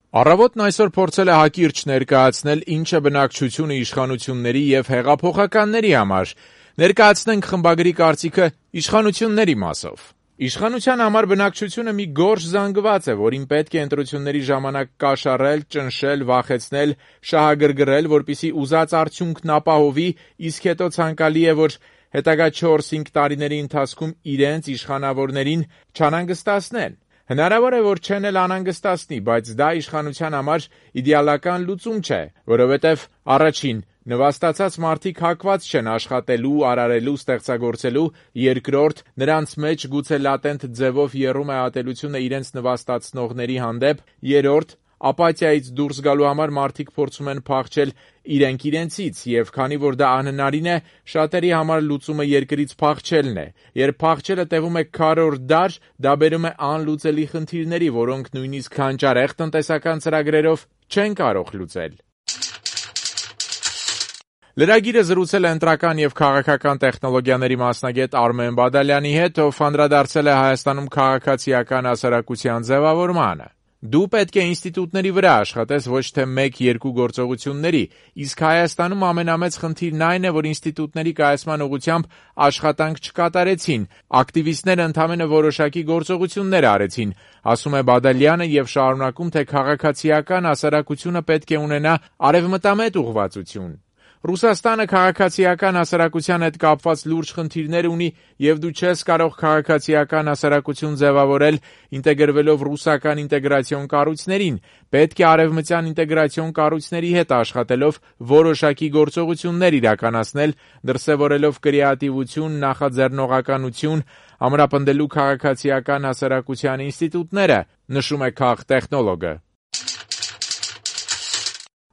Առավոտն այսօր փորձել է հակիրճ ներկայացնել ինչը բնակչությունը իշխանությունների և հեղափոխականների համար: Ներկայացնենք խմբագրի կարծիքը իշխանությունների մասով: Իշխանության համար բնակչությունը մի գորշ զանգված է, որին պետք է ընտրությունների ժամանակ կաշառել, ճնշել, վախեցնել, շահագրգռել, որպեսզի ուզած արդյունքն ապահովի, իսկ հետո ցանկալի է, որ հետագա 4-5 տարիների ընթացքում իրենց իշխանավորներին չանհանգստացնեն: Հնարավոր է, որ չեն էլ անհանգստացնի, բայց դա իշխանության համար իդեալական լուծում չէ, որովհետև առաջին՝ նվաստացած մարդիկ հակված չեն աշխատելու, արարելու, ստեղծագործելու, երկրորդ՝ նրանց մեջ գուցե լատենտ ձևով եռում է ատելությունը իրենց նվաստացնողների հանդեպ, երրորդ՝ ապաթիայից դուրս գալու համար մարդիկ փորձում են փախչել իրենք իրենցից, և քանի որ դա անհնարին է, շատերի համար լուծումը երկրից փախչելն է: Երբ փախչելը տևում է քառորդ դար, դա բերում է անլուծելի խնդիրների, որոնք նույնիսկ հանճարեղ տնտեսական ծրագրերով չեն կարող լուծել: Լրագիրը զրուցել է ընտրական և քաղաքական տեխնոլոգիաների մասնագետ Արմեն Բադալյանի հետ, ով անդրադարձել է Հայաստանում քաղաքացիական հասարակության ձևավորմանը: Դու պետք է ինստիտուտների վրա աշխատես, ոչ թե 1-2 գործողությունների, իսկ Հայաստանում ամենամեծ խնդիրն այն է, որ ինստիտուտների կայացման ուղղությամբ աշխատանք չկատարեցին, ակտիվիստները ընդամենը որոշակի գործողություններ արեցին, ասում է Բադալյանը և շարունակում, թե քաղաքացիական հասարակությունը պետք է ունենա արևմտամետ ուղղվածություն: Ռուսաստանը քաղաքացիական հասարակության հետ կապված լուրջ խնդիրներ ունի և դու չես կարող քաղաքացիական հասարակություն ձևավորել ինտեգրվելով ռուսական ինտեգրացիոն կառույցներին, պետք է արևմտյան ինտեգրացիոն կառույցների հետ աշխատելով որոշակի գործողություններ իրականացնել, դրսևորելով կրեատիվություն, նախաձեռնողականություն, ամրապնդելու քաղաքացիական հասարակության ինստիտուտները, նշում է քաղտեխնոլոգը: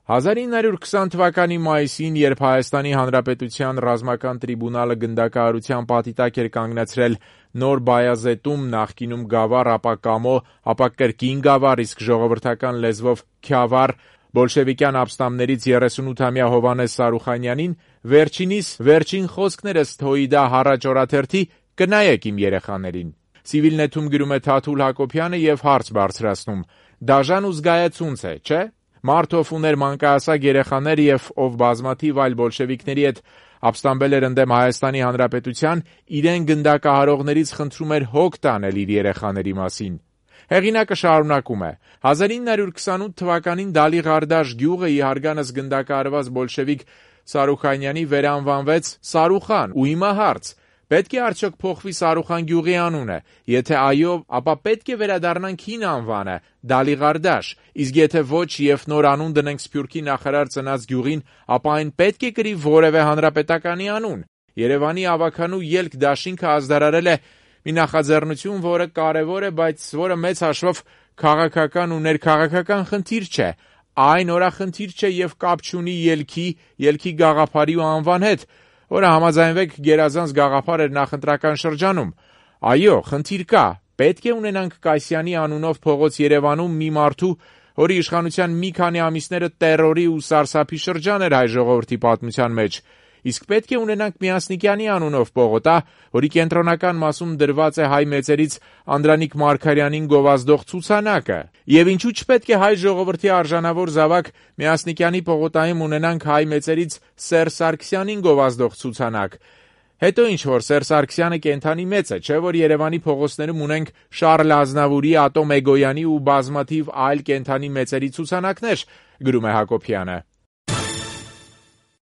1920 թվականի մայիսին, երբ Հայաստանի Հանրապետության ռազմական տրիբունալը գնդակահարության պատիտակ էր կանգնեցրել Նոր Բայազետում, նախկինում Գավառ, ապա Կամո, ապա կրկին Գավառ, իսկ ժողովրդական լեզվով Քյավառ, բոլշևիկյան ապստամբներից 38-ամյա Հովհաննես Սարուխանյանին, վերջինիս վերջին խոսքն էր ըստ Հոիդա Հառաջ օրաթերթի «Կնայեք իմ երեխաներին»: Civilnet-ում գրում է Թաթուլ Հակոբյանը և հարց բարձրացնում. «Դաժան ու զգայացունց է, չէ՞: Մարդ, ով ուներ մանկահասակ երեխաներ և ով բազմաթիվ այլ բոլշևիկների հետ ապստամբել էր ընդդեմ Հայաստանի Հանրապետության, իրեն գնդակահարողներից խնդրում էր հոգ տանել իր երեխաների մասին»: Հեղինակը շարունակում է. 1928 թվականին Դալի-Ղարդաշ գյուղը ի հարգանս գնդակահարված բոլշևիկ Սարուխանյանի վերանվանվեց Սարուխան, ու հիմա հարց. պետք է արդյոք փոխվի Սարուխան գյուղի անունը: Եթե այո, ապա պետք է վերադառնանք հին անվանը Դալի-Ղարդաշ, իսկ եթե ոչ և նոր անուն դնենք Սփյուռքի նախարար ծնած գյուղին, ապա այն պետք է կրի որևէ հանրապետականի անուն: Երևանի ավագանու ելք դաշինքը ազդարարել է մի նախաձեռնություն, որը կարևոր է, բայց որը մեծ հաշվով քաղաքական ու ներքաղաքական խնդիր չէ: Այն օրախնդիր չէ և կապ չունի ելքի գաղափարի ու անվան հետ, որը համաձայնվեք գերազանց գաղափար էր նախընտրական շրջանում: Այո, խնդիր կա: Պետք է ունենանք Կասյանի անունով փողոց Երևանում մի մարդու, որի իշխանության մի քանի ամիսները տեռորի ու սարսափի շրջան էր հայ ժողովրդի պատմության մեջ: Իսկ պետք է ունենանք Մյասնիկյանի անունով պողոտա, որի կենտրոնական մասում դրված է հայ մեծերից Անդրանիկ Մարգարյանին գովազդող ցուցանակը: Եվ ինչու չպետք է հայ ժողովրդի արժանավոր զավակ Մյասնիկյանի պողոտայում ունենանք հայ մեծերից Սերժ Սարգսյանին գովազդող ցուցանակ: Հետո ինչ-որ Սերժ Սարգսյանը կենդանի մեծ է, չէ՞ որ Երևանի փողոցներում ունենք Շառլ Ազնավուրի, Ատոմ Էգոյանի ու բազմաթիվ այլ կենդանի մեծերի ցուցանակներ, գրում է Հակոբյանը: